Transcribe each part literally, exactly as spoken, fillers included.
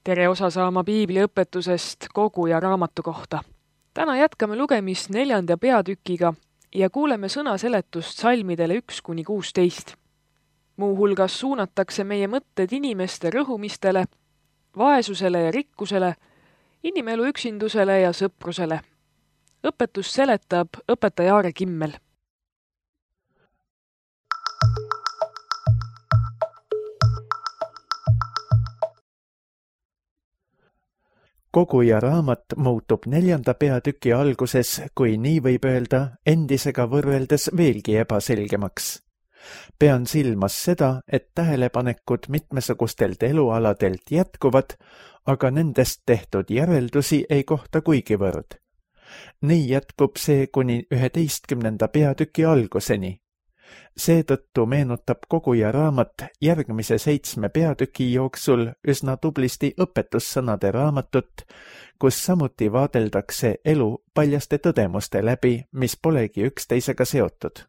Tere osa saama piibliõpetusest kogu ja raamatu kohta. Täna jätkame lugemist neljanda peatükiga ja kuuleme sõnaseletust salmidele üks kuni kuusteist. Muu hulgas suunatakse meie mõtted inimeste rõhumistele, vaesusele ja rikkusele, inimelu üksindusele ja sõprusele. Õpetus seletab õpetaja Aare Kimmel. Koguja raamat muutub neljanda peatüki alguses, kui nii võib öelda, endisega võrreldes veelgi ebaselgemaks. Pean silmas seda, et tähelepanekud mitmesugustelt elualadelt jätkuvad, aga nendest tehtud järeldusi ei kohta kuigivõrd. Nii jätkub see kuni üheteistkümnenda peatüki alguseni. Seetõttu meenutab koguja raamat järgmise seitsme peatüki jooksul üsna tublisti õpetussõnade raamatut, kus samuti vaadeldakse elu paljaste tõdemuste läbi, mis polegi üksteisega seotud.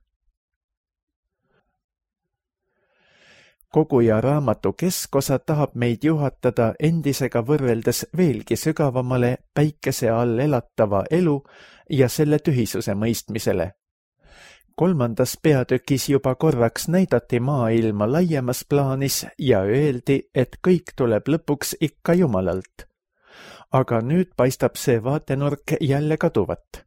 Koguja raamatu keskosa tahab meid juhatada endisega võrreldes veelgi sügavamale päikese all elatava elu ja selle tühisuse mõistmisele. Kolmandas peatükis juba korraks näidati maailma laiemas plaanis ja öeldi, et kõik tuleb lõpuks ikka Jumalalt. Aga nüüd paistab see vaatenurk jälle kaduvat.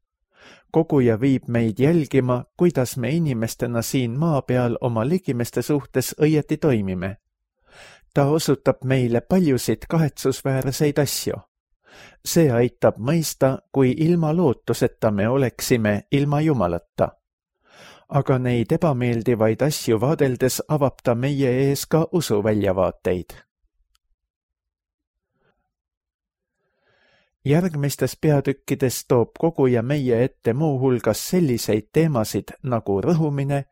Koguja viib meid jälgima, kuidas me inimestena siin maa peal oma ligimeste suhtes õieti toimime. Ta osutab meile paljusid kahetsusväärseid asju. See aitab mõista, kui ilma lootuseta me oleksime ilma Jumalata. Aga neid ebameeldivaid asju vaadeldes avab ta meie ees ka usuväljavaateid. Järgmistes peatükkides toob koguja meie ette muu hulgas selliseid teemasid nagu rõhumine,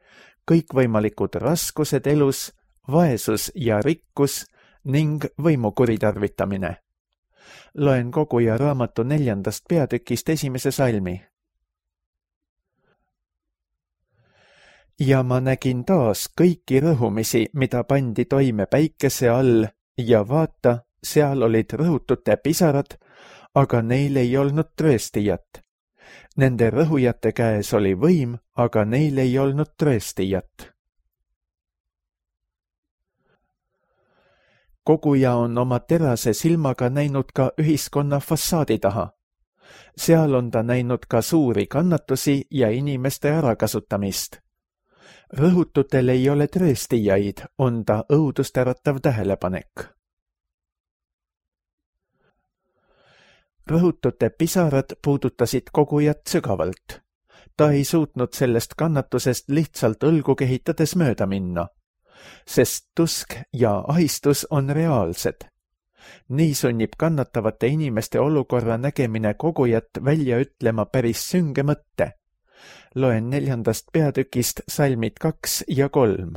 kõikvõimalikud raskused elus, vaesus ja rikkus ning võimu kuritarvitamine. Loen koguja raamatu neljandast peatükist esimese salmi. Ja ma nägin taas kõiki rõhumisi, mida pandi toime päikese all ja vaata, seal olid rõhutute pisarad, aga neil ei olnud trööstijat. Nende rõhujate käes oli võim, aga neil ei olnud trööstijat. Koguja on oma terase silmaga näinud ka ühiskonna fassaadi taha. Seal on ta näinud ka suuri kannatusi ja inimeste ärakasutamist. Rõhututel ei ole trööstijaid, on ta õudustäratav tähelepanek. Rõhutute pisarad puudutasid kogujat sügavalt. Ta ei suutnud sellest kannatusest lihtsalt õlgu kehitades mööda minna, sest tusk ja ahistus on reaalsed. Nii sunnib kannatavate inimeste olukorra nägemine kogujat välja ütlema päris sünge mõtte. Loen neljandast peatükist salmid kaks ja kolm.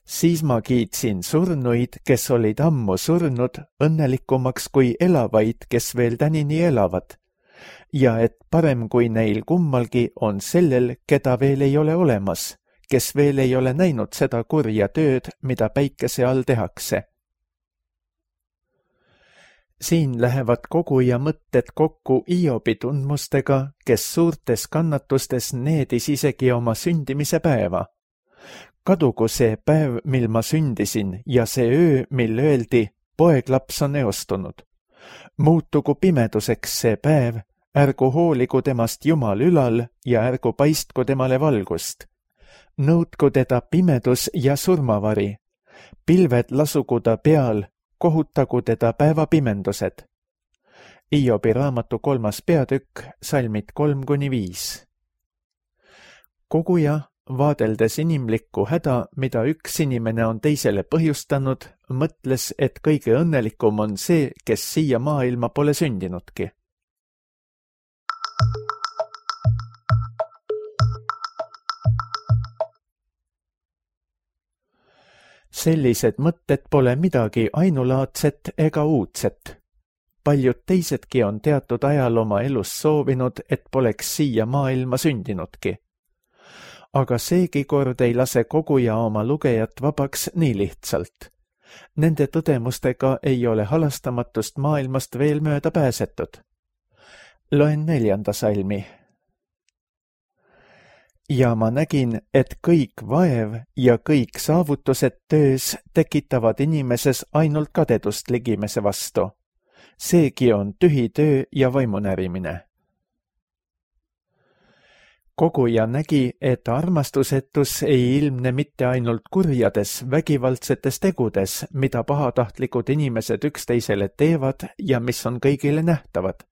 Siis ma kiitsin surnuid, kes olid ammu surnud, õnnelikumaks kui elavaid, kes veel tänini elavad, ja et parem kui neil kummalgi on sellel, keda veel ei ole olemas, kes veel ei ole näinud seda kurja tööd, mida päikese all tehakse. Siin lähevad koguja mõtted kokku Iobi tundmustega, kes suurtes kannatustes needis isegi oma sündimise päeva. Kadugu see päev, mil ma sündisin, ja see öö, mil öeldi, poeglaps on eostunud. Muutugu pimeduseks see päev, ärgu hooligu temast Jumal ülal ja ärgu paistku temale valgust. Nõudku teda pimedus ja surmavari. Pilved lasugu ta peal, kohutagu teda päevapimendused. Iobi raamatu kolmas peatükk, salmid kolm kuni viis. Koguja, vaadeldes inimlikku häda, mida üks inimene on teisele põhjustanud, mõtles, et kõige õnnelikum on see, kes siia maailma pole sündinudki. Sellised mõtted pole midagi ainulaadset ega uudset. Paljud teisedki on teatud ajal oma elus soovinud, et poleks siia maailma sündinudki. Aga seegi kord ei lase koguja oma lugejat vabaks nii lihtsalt. Nende tõdemustega ei ole halastamatust maailmast veel mööda pääsetud. Loen neljanda salmi. Ja ma nägin, et kõik vaev ja kõik saavutused töös tekitavad inimeses ainult kadedust ligimese vastu. Seegi on tühi töö ja vaimunärimine. Koguja nägi, et armastusetus ei ilmne mitte ainult kurjades, vägivaldsetes tegudes, mida pahatahtlikud inimesed üksteisele teevad ja mis on kõigile nähtavad.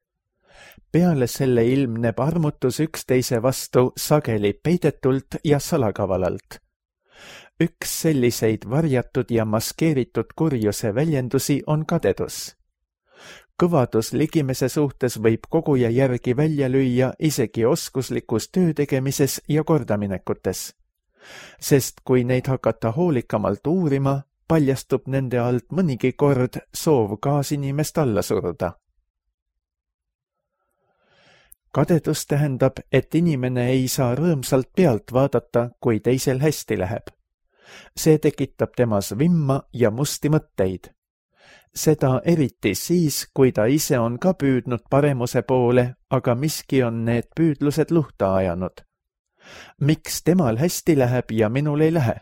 Peale selle ilmneb armutus üksteise vastu sageli peidetult ja salakavalalt. Üks selliseid varjatud ja maskeeritud kurjuse väljendusi on kadedus. Kõvadus ligimese suhtes võib koguja järgi välja lüüa isegi oskuslikus töö tegemises ja kordaminekutes. Sest kui neid hakata hoolikamalt uurima, paljastub nende alt mõnigi kord soov kaasinimest alla suruda. Kadedus tähendab, et inimene ei saa rõõmsalt pealt vaadata, kui teisel hästi läheb. See tekitab temas vimma ja musti mõtteid. Seda eriti siis, kui ta ise on ka püüdnud paremuse poole, aga miski on need püüdlused luhta ajanud. Miks temal hästi läheb ja minul ei lähe?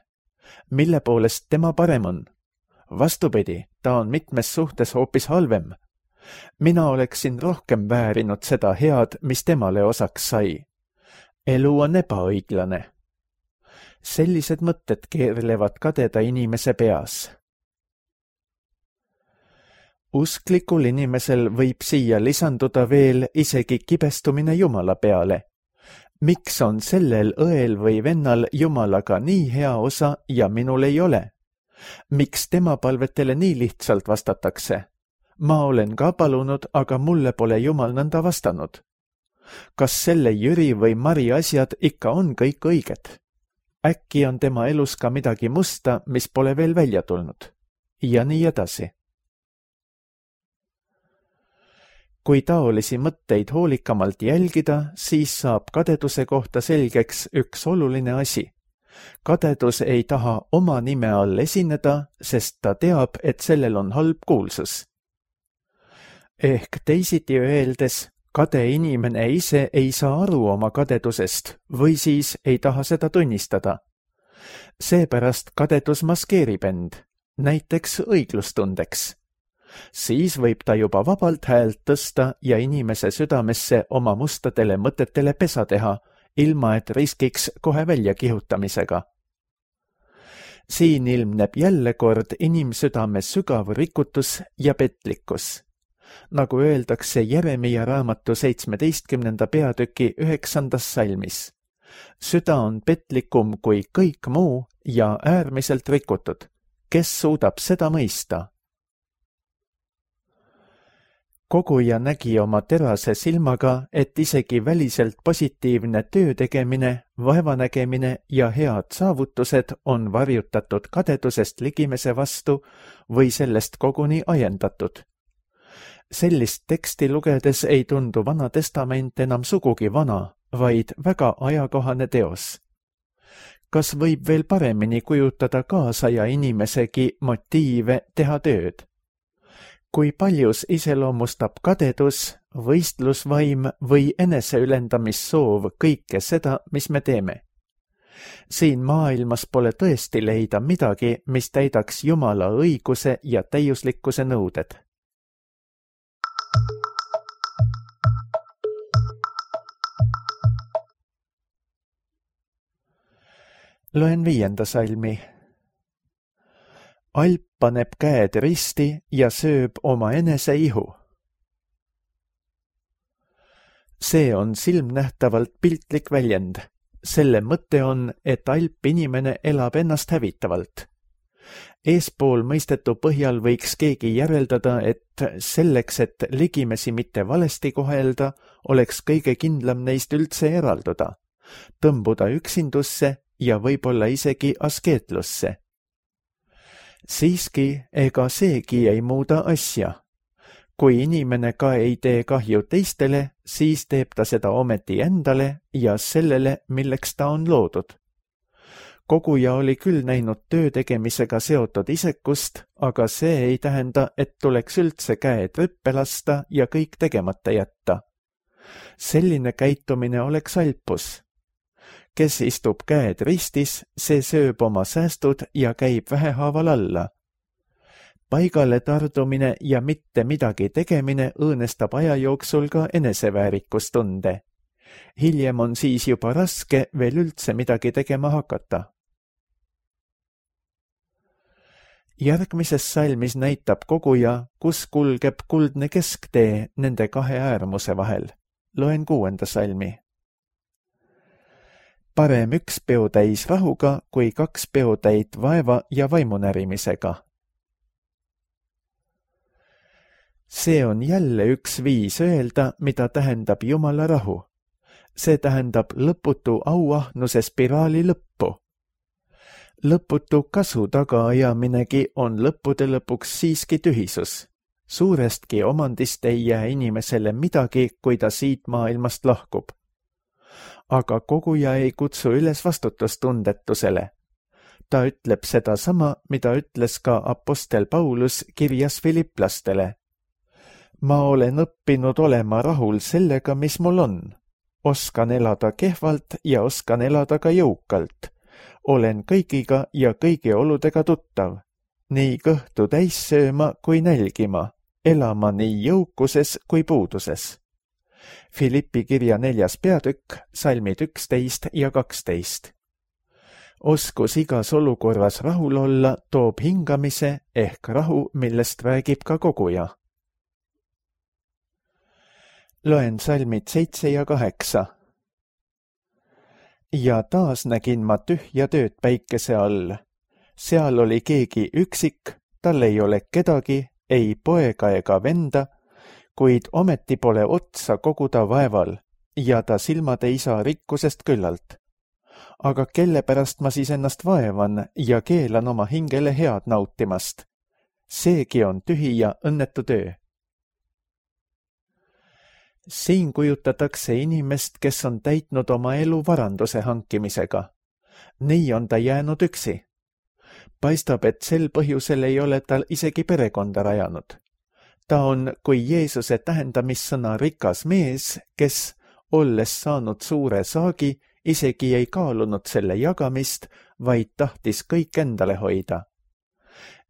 Mille poolest tema parem on? Vastupidi, ta on mitmes suhtes hoopis halvem. Mina oleksin rohkem väärinud seda head, mis temale osaks sai. Elu on ebaõiglane. Sellised mõtted keerlevad kadeda inimese peas. Usklikul inimesel võib siia lisanduda veel isegi kibestumine Jumala peale. Miks on sellel õel või vennal Jumalaga nii hea osa ja minul ei ole? Miks tema palvetele nii lihtsalt vastatakse? Ma olen ka palunud, aga mulle pole Jumal nõnda vastanud. Kas selle Jüri või Mari asjad ikka on kõik õiged? Äkki on tema elus ka midagi musta, mis pole veel välja tulnud? Ja nii edasi. Kui taolisi mõtteid hoolikamalt jälgida, siis saab kadeduse kohta selgeks üks oluline asi. Kadedus ei taha oma nime all esineda, sest ta teab, et sellel on halb kuulsus. Ehk teisiti öeldes, kade inimene ise ei saa aru oma kadedusest või siis ei taha seda tunnistada. Seepärast kadedus maskeerib end, näiteks õiglustundeks. Siis võib ta juba vabalt häält tõsta ja inimese südamesse oma mustadele mõtetele pesa teha, ilma et riskiks kohe välja kihutamisega. Siin ilmneb jälle kord inimsüdame sügav rikutus ja petlikkus. Nagu öeldakse Jeremia raamatu seitsmeteistkümnenda peatüki üheksandas salmis. Süda on petlikum kui kõik muu ja äärmiselt rikutud. Kes suudab seda mõista? Koguja nägi oma terase silmaga, et isegi väliselt positiivne töö tegemine, vaevanägemine ja head saavutused on varjutatud kadedusest ligimese vastu või sellest koguni ajendatud. Sellist teksti lugedes ei tundu Vana Testament enam sugugi vana, vaid väga ajakohane teos. Kas võib veel paremini kujutada kaasaja inimesegi motiive teha tööd? Kui paljus iseloomustab kadedus, võistlusvaim või eneseülendamissoov kõike seda, mis me teeme? Siin maailmas pole tõesti leida midagi, mis täidaks Jumala õiguse ja täiuslikkuse nõuded. Loen viienda salmi. Alp paneb käed risti ja sööb oma enese ihu. See on silmnähtavalt piltlik väljend. Selle mõte on, et alp inimene elab ennast hävitavalt. Eespool mõistetu põhjal võiks keegi järeldada, et selleks, et ligimesi mitte valesti kohelda, oleks kõige kindlam neist üldse eralduda, tõmbuda üksindusse ja võib-olla isegi askeetlusse. Siiski ega seegi ei muuda asja. Kui inimene ka ei tee kahju teistele, siis teeb ta seda ometi endale ja sellele, milleks ta on loodud. koguja oli küll näinud töö tegemisega seotud isekust, aga see ei tähenda, et tuleks üldse käed rüppe lasta ja kõik tegemata jätta. Selline käitumine oleks alpus. Kes istub käed ristis, see sööb oma säästud ja käib vähehaaval alla. Paigale tardumine ja mitte midagi tegemine õõnestab aja jooksul ka eneseväärikustunde. Hiljem on siis juba raske veel üldse midagi tegema hakata. Järgmises salmis näitab koguja, kus kulgeb kuldne kesktee nende kahe äärmuse vahel. Loen kuuenda salmi. Parem üks peotäis rahuga kui kaks peotäit vaeva ja vaimunärimisega. See on jälle üks viis öelda, mida tähendab Jumala rahu. See tähendab lõputu auahnuse spiraali lõppu. Lõputu kasu tagaajaminegi on lõppude lõpuks siiski tühisus. Suurestki omandist ei jää inimesele midagi, kui ta siit maailmast lahkub. Aga koguja ei kutsu üles vastutustundetusele. Ta ütleb seda sama, mida ütles ka apostel Paulus kirjas Filiplastele. Ma olen õppinud olema rahul sellega, mis mul on. Oskan elada kehvalt ja oskan elada ka jõukalt. Olen kõigiga ja kõigi oludega tuttav. Nii kõhtu täis sööma kui nälgima, elama nii jõukuses kui puuduses. Filippi kirja neljas peatükk, salmid üksteist ja kaksteist. Oskus igas olukorras rahul olla toob hingamise ehk rahu, millest räägib ka koguja. Loen salmid seitse ja kaheksa. Ja taas nägin ma tühja tööd päikese all. Seal oli keegi üksik, tal ei ole kedagi, ei poega ega venda, kuid ometi pole otsa koguda vaeval ja ta silmad ei saa rikkusest küllalt. Aga kelle pärast ma siis ennast vaevan ja keelan oma hingele head nautimast? Seegi on tühi ja õnnetu töö. Siin kujutatakse inimest, kes on täitnud oma elu varanduse hankimisega. Nii on ta jäänud üksi. Paistab, et sel põhjusel ei ole tal isegi perekonda rajanud. Ta on kui Jeesuse tähendamissõna rikas mees, kes, olles saanud suure saagi, isegi ei kaalunud selle jagamist, vaid tahtis kõik endale hoida.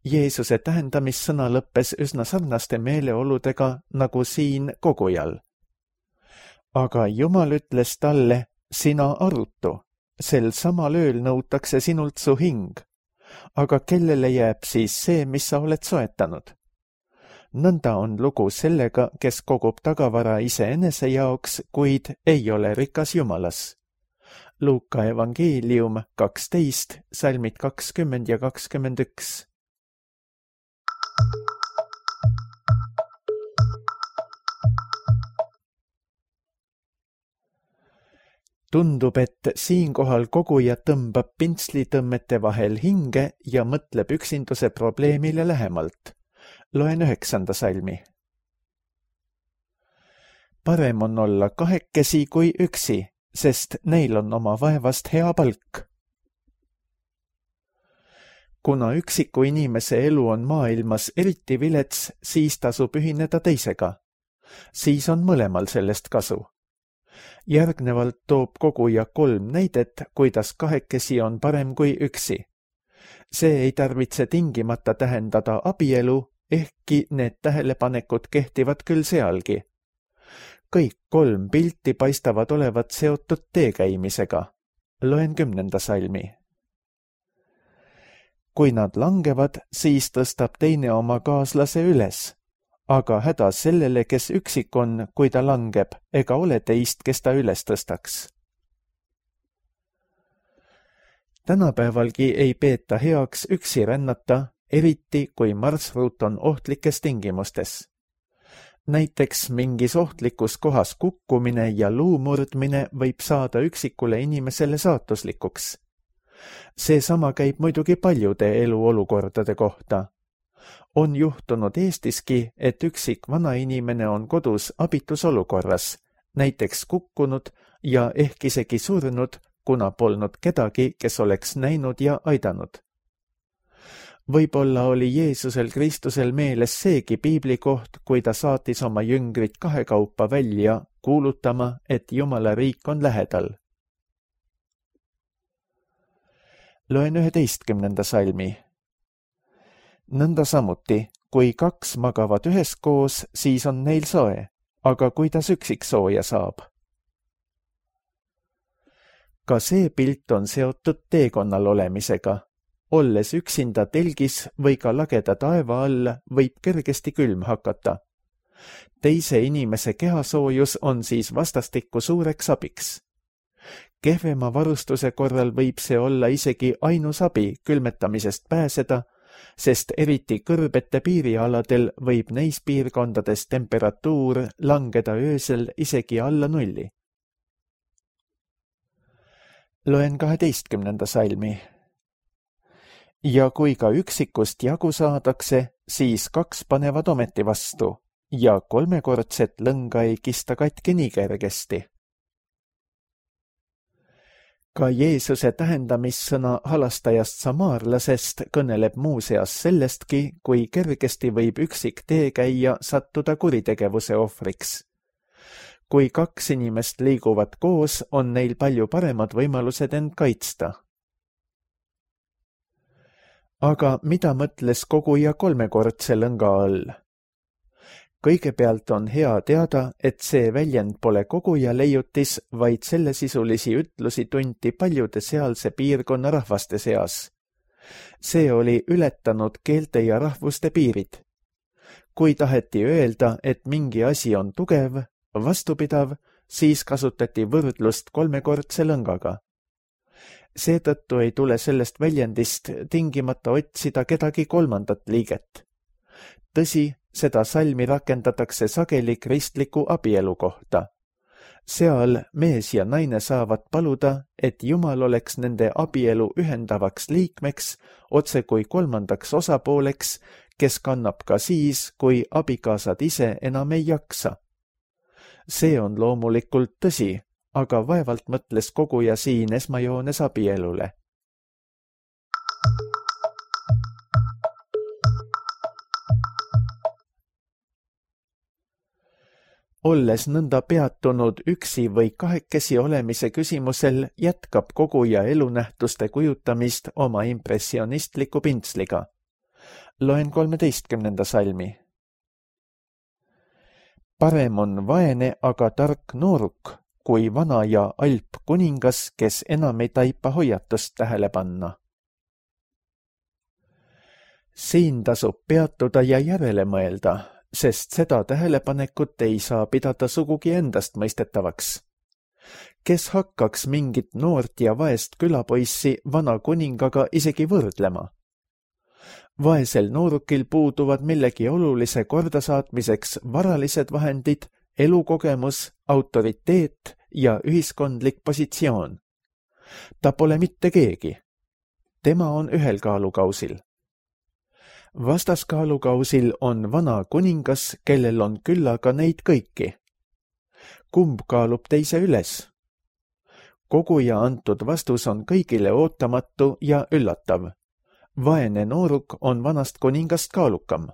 Jeesuse tähendamissõna lõppes üsna sarnaste meeleoludega nagu siin kogujal. Aga Jumal ütles talle, sina arutu, sel samal ööl nõutakse sinult su hing. Aga kellele jääb siis see, mis sa oled soetanud? Nõnda on lugu sellega, kes kogub tagavara iseenese jaoks, kuid ei ole rikas Jumalas. Luuka evangeelium kaksteist, salmid kakskümmend ja kakskümmend üks. Tundub, et siinkohal koguja tõmbab pintslitõmmete vahel hinge ja mõtleb üksinduse probleemile lähemalt. Loen üheksanda salmi. Parem on olla kahekesi kui üksi, sest neil on oma vaevast hea palk. Kuna üksiku inimese elu on maailmas eriti vilets, siis tasub ühineda teisega. Siis on mõlemal sellest kasu. Järgnevalt toob koguja kolm näidet, kuidas kahekesi on parem kui üksi. See ei tarvitse tingimata tähendada abielu, ehkki need tähelepanekud kehtivad küll sealgi. Kõik kolm pilti paistavad olevat seotud teekäimisega. Loen kümnenda salmi. Kui nad langevad, siis tõstab teine oma kaaslase üles. Aga häda sellele, kes üksik on, kui ta langeb, ega ole teist, kes ta üles tõstaks. Tänapäevalgi ei peeta heaks üksi rännata, eriti kui marsruut on ohtlikes tingimustes. Näiteks mingis ohtlikus kohas kukkumine ja luumurdmine võib saada üksikule inimesele saatuslikuks. Seesama käib muidugi paljude eluolukordade kohta. On juhtunud Eestiski, et üksik vanainimene on kodus abitusolukorras, näiteks kukkunud ja ehk isegi surnud, kuna polnud kedagi, kes oleks näinud ja aidanud. Võib-olla oli Jeesusel Kristusel meeles seegi piiblikoht, kui ta saatis oma jüngrid kahekaupa välja kuulutama, et Jumala riik on lähedal. Loen üheteistkümnenda salmi. Nõnda samuti, kui kaks magavad üheskoos, siis on neil soe, aga kuidas üksik sooja saab? Ka see pilt on seotud teekonnal olemisega. Olles üksinda telgis või ka lageda taeva all, võib kergesti külm hakata. Teise inimese kehasoojus on siis vastastikku suureks abiks. Kehvema varustuse korral võib see olla isegi ainus abi külmetamisest pääseda, sest eriti kõrbete piirialadel võib neis piirkondades temperatuur langeda öösel isegi alla nulli. Loen kaheteistkümnenda salmi. Ja kui ka üksikust jagu saadakse, siis kaks panevad ometi vastu ja kolmekordset lõnga ei kista katki nii kergesti. Ka Jeesuse tähendamissõna halastajast samaarlasest kõneleb muuseas sellestki, kui kergesti võib üksik teekäija sattuda kuritegevuse ohvriks. Kui kaks inimest liiguvad koos, on neil palju paremad võimalused end kaitsta. Aga mida mõtles koguja kolmekordse lõnga all? Kõigepealt on hea teada, et see väljend pole koguja leiutis, vaid sellesisulisi ütlusi tunti paljude sealse piirkonna rahvaste seas. See oli ületanud keelte ja rahvuste piirid. Kui taheti öelda, et mingi asi on tugev, vastupidav, siis kasutati võrdlust kolmekordse lõngaga. Seetõttu ei tule sellest väljendist tingimata otsida kedagi kolmandat liiget. Tõsi, seda salmi rakendatakse sageli kristliku abielu kohta. Seal mees ja naine saavad paluda, et Jumal oleks nende abielu ühendavaks liikmeks, otse kui kolmandaks osapooleks, kes kannab ka siis, kui abikaasad ise enam ei jaksa. See on loomulikult tõsi, aga vaevalt mõtles koguja siin esmajoones abielule. Olles nõnda peatunud üksi või kahekesi olemise küsimusel, jätkab koguja elunähtuste kujutamist oma impressionistliku pintsliga. Loen kolmeteistkümnenda salmi. Parem on vaene, aga tark nooruk, kui vana ja alp kuningas, kes enam ei taipa hoiatust tähele panna. Siin tasub peatuda ja järele mõelda, sest seda tähelepanekut ei saa pidada sugugi endast mõistetavaks. Kes hakkaks mingit noort ja vaest külapoissi vana kuningaga isegi võrdlema? Vaesel noorukil puuduvad millegi olulise kordasaatmiseks varalised vahendid, elukogemus, autoriteet ja ühiskondlik positsioon. Ta pole mitte keegi. Tema on ühel kaalukausil. Vastaskaalukausil on vana kuningas, kellel on küllaga neid kõiki. Kumb kaalub teise üles? Koguja antud vastus on kõigile ootamatu ja üllatav. Vaene nooruk on vanast kuningast kaalukam.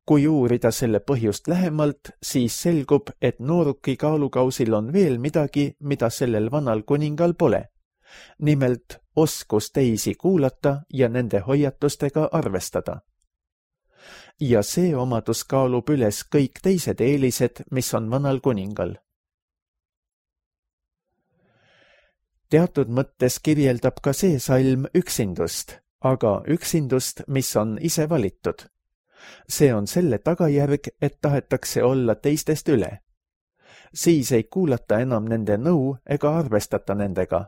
Kui uurida selle põhjust lähemalt, siis selgub, et nooruki kaalukausil on veel midagi, mida sellel vanal kuningal pole. Nimelt oskus teisi kuulata ja nende hoiatustega arvestada. Ja see omadus kaalub üles kõik teised eelised, mis on vanal kuningal. Teatud mõttes kirjeldab ka see salm üksindust, aga üksindust, mis on ise valitud. See on selle tagajärg, et tahetakse olla teistest üle. Siis ei kuulata enam nende nõu ega arvestata nendega.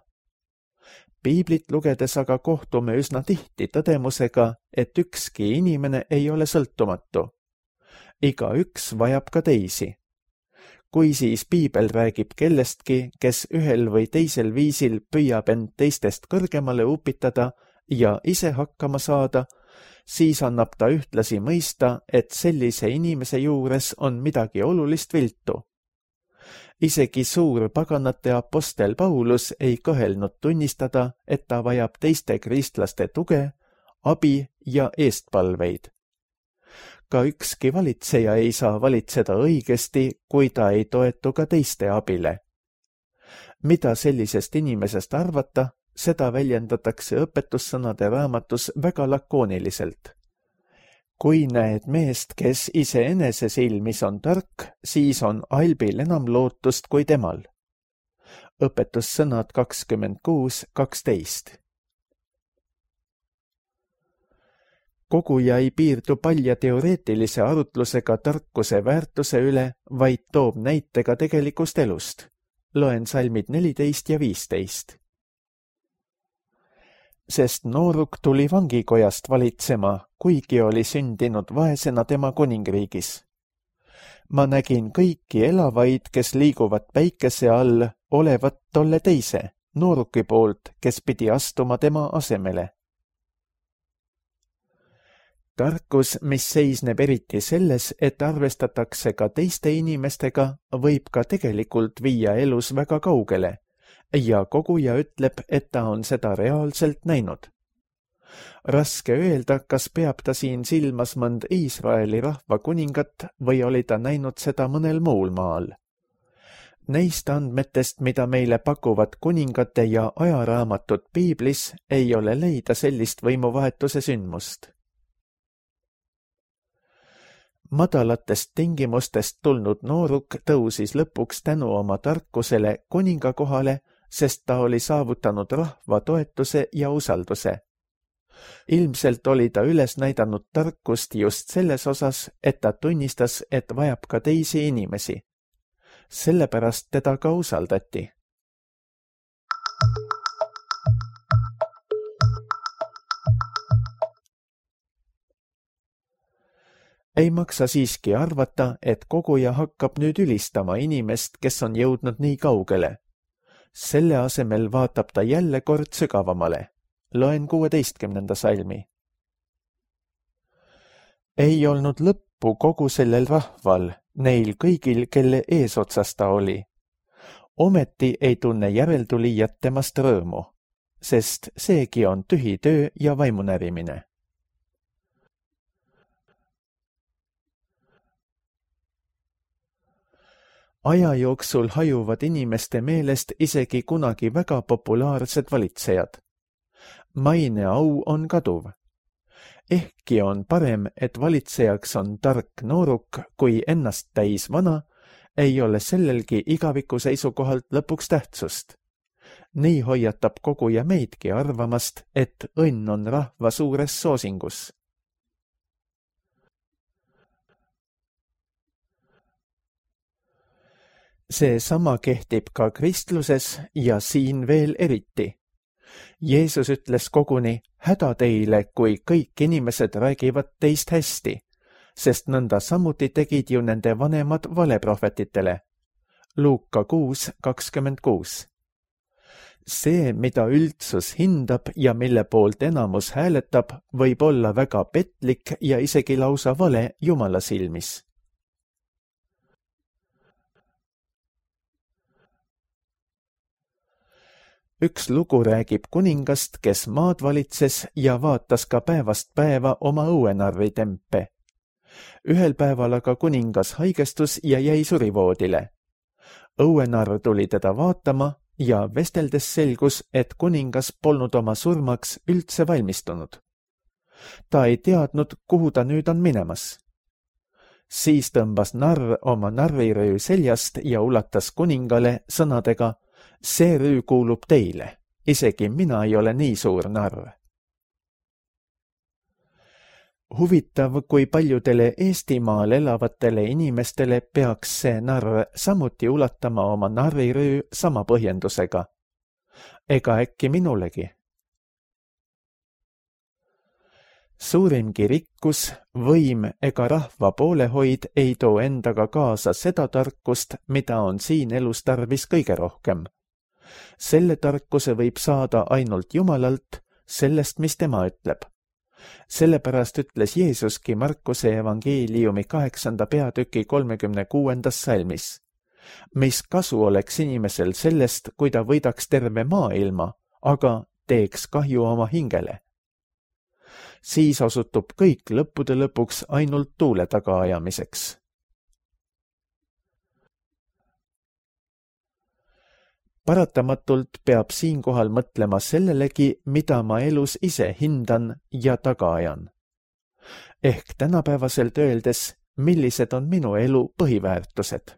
Piiblit lugedes aga kohtume üsna tihti tõdemusega, et ükski inimene ei ole sõltumatu. Iga üks vajab ka teisi. Kui siis piibel räägib kellestki, kes ühel või teisel viisil püüab end teistest kõrgemale upitada ja ise hakkama saada, siis annab ta ühtlasi mõista, et sellise inimese juures on midagi olulist viltu. Isegi suur paganate apostel Paulus ei kõhelnud tunnistada, et ta vajab teiste kristlaste tuge, abi ja eestpalveid. Ka ükski valitseja ei saa valitseda õigesti, kui ta ei toetu ka teiste abile. Mida sellisest inimesest arvata, seda väljendatakse õpetussõnade raamatus väga lakooniliselt. Kui näed meest, kes iseenese silmis on tark, siis on albil enam lootust kui temal. Õpetussõnad kakskümmend kuus kaksteist. Koguja ei piirdu palja teoreetilise arutlusega tarkuse väärtuse üle, vaid toob näitega tegelikust elust. Loen salmid neliteist ja viisteist. Sest nooruk tuli vangikojast valitsema, kuigi oli sündinud vaesena tema kuningriigis. Ma nägin kõiki elavaid, kes liiguvad päikese all, olevat tolle teise, nooruki poolt, kes pidi astuma tema asemele. Tarkus, mis seisneb eriti selles, et arvestatakse ka teiste inimestega, võib ka tegelikult viia elus väga kaugele ja koguja ütleb, et ta on seda reaalselt näinud. Raske öelda, kas peab ta siin silmas mõnd Iisraeli rahva kuningat või oli ta näinud seda mõnel muul maal. Neist andmetest, mida meile pakuvad kuningate ja ajaraamatud piiblis, ei ole leida sellist võimuvahetuse sündmust. Madalatest tingimustest tulnud nooruk tõusis lõpuks tänu oma tarkusele kuninga kohale, sest ta oli saavutanud rahva toetuse ja usalduse. Ilmselt oli ta üles näidanud tarkust just selles osas, et ta tunnistas, et vajab ka teisi inimesi. Sellepärast teda ka usaldati. Ei maksa siiski arvata, et koguja hakkab nüüd ülistama inimest, kes on jõudnud nii kaugele. Selle asemel vaatab ta jälle kord sügavamale. Loen kuueteistkümnenda salmi. Ei olnud lõppu kogu sellel rahval, neil kõigil, kelle eesotsas ta oli. Ometi ei tunne järeltulijat temast rõõmu, sest seegi on tühi töö ja vaimunärimine. Aja jooksul hajuvad inimeste meelest isegi kunagi väga populaarsed valitsejad. Maine au on kaduv. Ehkki on parem, et valitsejaks on tark nooruk kui ennast täis vana, ei ole sellelgi igaviku seisukohalt lõpuks tähtsust. Nii hoiatab koguja meidki arvamast, et õnn on rahva suures soosingus. See sama kehtib ka kristluses ja siin veel eriti. Jeesus ütles koguni, häda teile, kui kõik inimesed räägivad teist hästi, sest nõnda samuti tegid ju nende vanemad valeprohvetitele. Luuka kuus kakskümmend kuus. See, mida üldsus hindab ja mille poolt enamus hääletab, võib olla väga petlik ja isegi lausa vale Jumala silmis. Üks lugu räägib kuningast, kes maad valitses ja vaatas ka päevast päeva oma õuenarri tempe. Ühel päeval aga kuningas haigestus ja jäi surivoodile. Õuenarr tuli teda vaatama ja vesteldes selgus, et kuningas polnud oma surmaks üldse valmistunud. Ta ei teadnud, kuhu ta nüüd on minemas. Siis tõmbas narr oma narriröö seljast ja ulatas kuningale sõnadega: see rüü kuulub teile, isegi mina ei ole nii suur narr. Huvitav, kui paljudele Eestimaal elavatele inimestele peaks see narr samuti ulatama oma narriröö sama põhjendusega. Ega äkki minulegi? Suurimgi rikkus, võim ega rahva poolehoid ei too endaga kaasa seda tarkust, mida on siin elus tarvis kõige rohkem. Selle tarkuse võib saada ainult Jumalalt, sellest, mis tema ütleb. Sellepärast ütles Jeesuski Markuse evangeeliumi kaheksanda peatüki kolmekümne kuuendas salmis: mis kasu oleks inimesel sellest, kui ta võidaks terve maailma, aga teeks kahju oma hingele. Siis osutub kõik lõppude lõpuks ainult tuule tagaajamiseks. Paratamatult peab siinkohal mõtlema sellelegi, mida ma elus ise hindan ja taga ajan. Ehk tänapäevaselt öeldes, millised on minu elu põhiväärtused.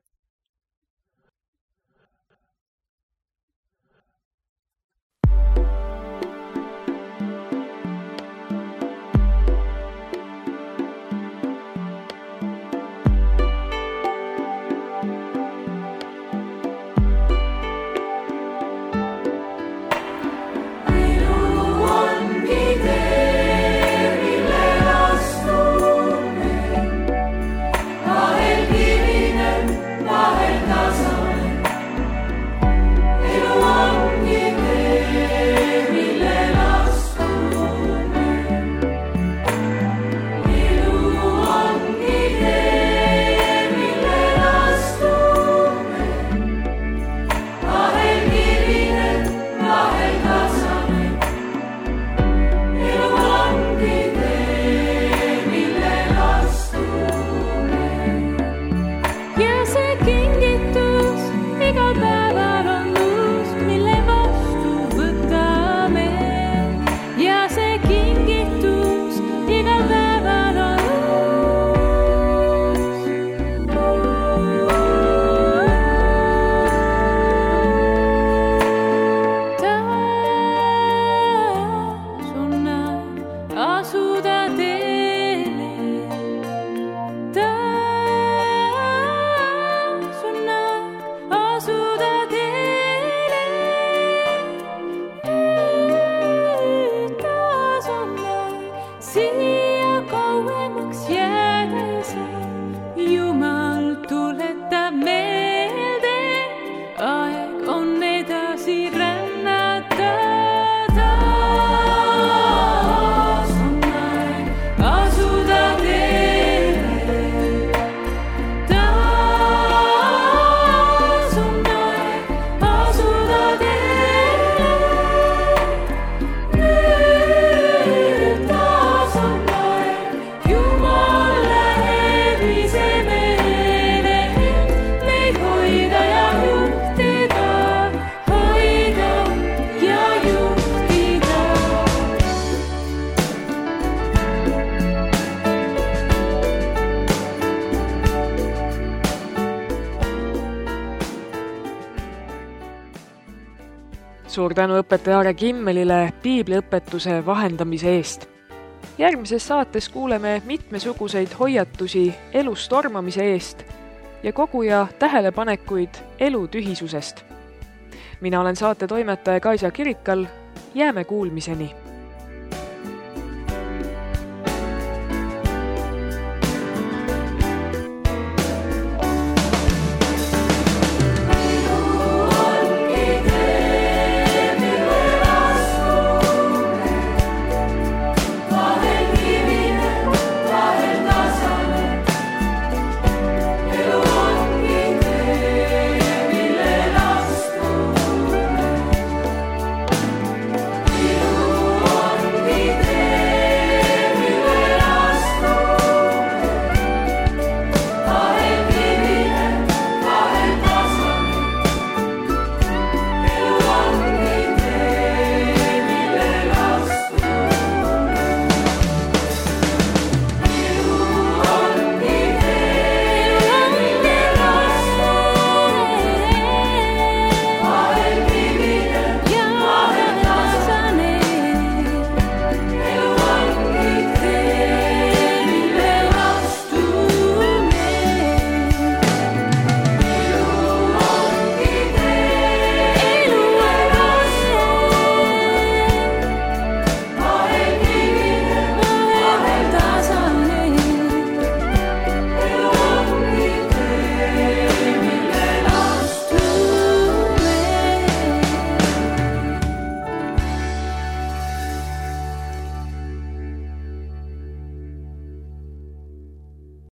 Suur tänu õpetaja Aare Kimmelile piibliõpetuse vahendamise eest. Järgmises saates kuuleme mitmesuguseid hoiatusi elus tormamise eest ja koguja tähelepanekuid elu tühisusest. Mina olen saate toimetaja Kaisa Kirikal, jääme kuulmiseni.